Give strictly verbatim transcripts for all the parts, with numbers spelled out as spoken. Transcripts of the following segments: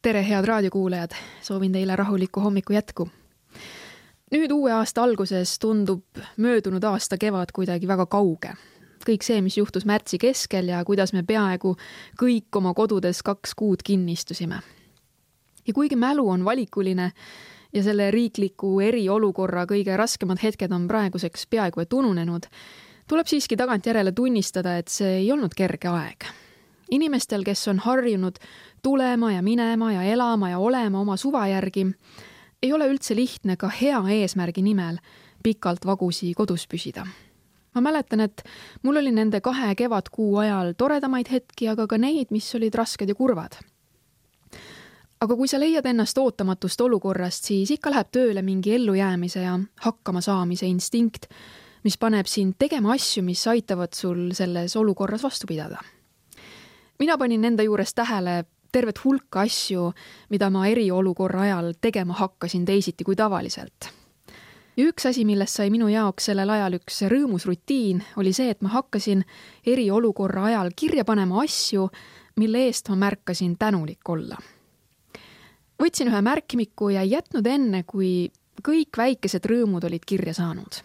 Tere, head raadiokuulajad! Soovin teile rahulikku hommiku jätku. Nüüd uue aasta alguses tundub möödunud aasta kevad kuidagi väga kauge. Kõik see, mis juhtus märtsi keskel ja kuidas me peaaegu kõik oma kodudes kaks kuud kinni istusime. Ja kuigi mälu on valikuline ja selle riikliku eriolukorra kõige raskemad hetked on praeguseks peaaegu et ununenud, tuleb siiski tagantjärele tunnistada, et see ei olnud kerge aeg. Inimestel, kes on harjunud tulema ja minema ja elama ja olema oma suva järgi, ei ole üldse lihtne ka hea eesmärgi nimel pikalt vagusi kodus püsida. Ma mäletan, et mul oli nende kahe kevadkuu ajal toredamaid hetki, aga ka neid, mis olid rasked ja kurvad. Aga kui sa leiad ennast ootamatust olukorrast, siis ikka läheb tööle mingi ellujäämise ja hakkama saamise instinkt, mis paneb sind tegema asju, mis aitavad sul selles olukorras vastu pidada. Mina panin enda juures tähele tervet hulka asju, mida ma eriolukorra ajal tegema hakkasin teisiti kui tavaliselt. Ja üks asi, millest sai minu jaoks sellel ajal üks rõõmus rutiin, oli see, et ma hakkasin eriolukorra ajal kirja panema asju, mille eest ma märkasin tänulik olla. Võtsin ühe märkmiku ja jätnud enne, kui kõik väikesed rõõmud olid kirja saanud.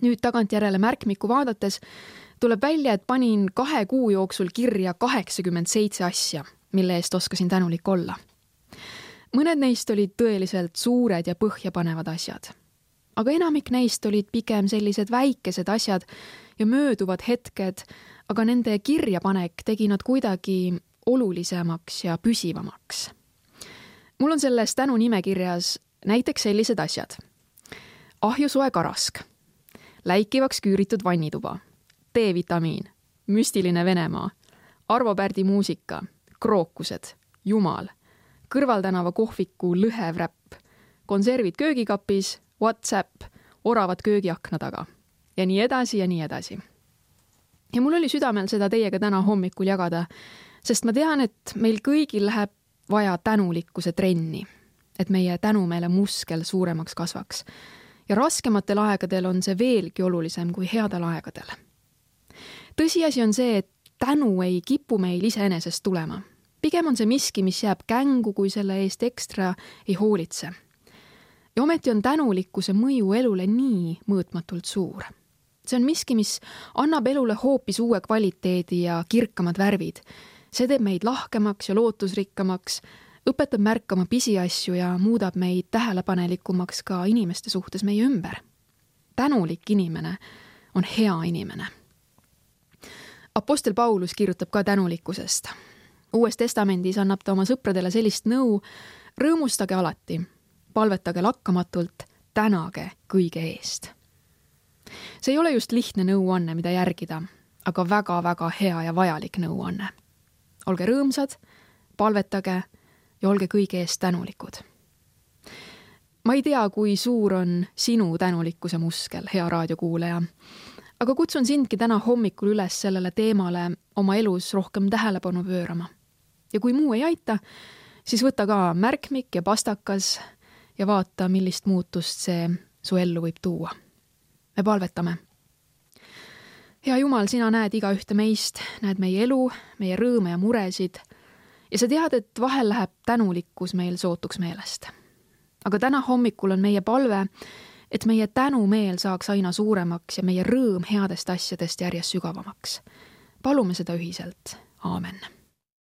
Nüüd tagantjärele märkmiku vaadates tuleb välja, et panin kahe kuu jooksul kirja kaheksakümmend seitse asja, mille eest oskasin tänulik olla. Mõned neist olid tõeliselt suured ja põhjapanevad asjad. Aga enamik neist olid pigem sellised väikesed asjad ja mööduvad hetked, aga nende kirjapanek tegi nad kuidagi olulisemaks ja püsivamaks. Mul on selles tänu nimekirjas näiteks sellised asjad. Ahjusoe karask, läikivaks küüritud vannituba, D-vitamiin, müstiline Venemaa, Arvo Pärdi muusika, krookused, jumal, kõrvaltänava kohviku lõhevräpp, konservid köögikapis, WhatsApp, oravad köögiakna taga ja nii edasi ja nii edasi. Ja mul oli südamel seda teiega täna hommikul jagada, sest ma tean, et meil kõigil läheb vaja tänulikkuse trenni, et meie tänumeele muskel suuremaks kasvaks. Ja raskematel aegadel on see veelgi olulisem kui headel aegadel. Tõsiasi on see, et tänu ei kipu meil iseenesest tulema. Pigem on see miski, mis jääb kängu, kui selle eest ekstra ei hoolitse. Ja ometi on tänulikkuse mõju elule nii mõõtmatult suur. See on miski, mis annab elule hoopis uue kvaliteedi ja kirkamad värvid. See teeb meid lahkemaks ja lootusrikkamaks, õpetab märkama pisiasju ja muudab meid tähelepanelikumaks ka inimeste suhtes meie ümber. Tänulik inimene on hea inimene. Apostel Paulus kirjutab ka tänulikkusest. Uues testamendis annab ta oma sõpradele sellist nõu: rõõmustage alati, palvetage lakkamatult, tänage kõige eest. See ei ole just lihtne nõuanne, mida järgida, aga väga-väga hea ja vajalik nõuanne. Olge rõõmsad, palvetage ja olge kõige eest tänulikud. Ma ei tea, kui suur on sinu tänulikkuse muskel, hea raadiokuulaja, aga kutsun sindki täna hommikul üles sellele teemale oma elus rohkem tähelepanu pöörama. Ja kui muu ei aita, siis võta ka märkmik ja pastakas ja vaata, millist muutust see su ellu võib tuua. Me palvetame. Hea Jumal, sina näed iga ühte meist, näed meie elu, meie rõõme ja muresid ja sa tead, et vahel läheb tänulikkus meil sootuks meelest. Aga täna hommikul on meie palve, et meie tänumeel saaks aina suuremaks ja meie rõõm headest asjadest järjest sügavamaks. Palume seda ühiselt. Aamen.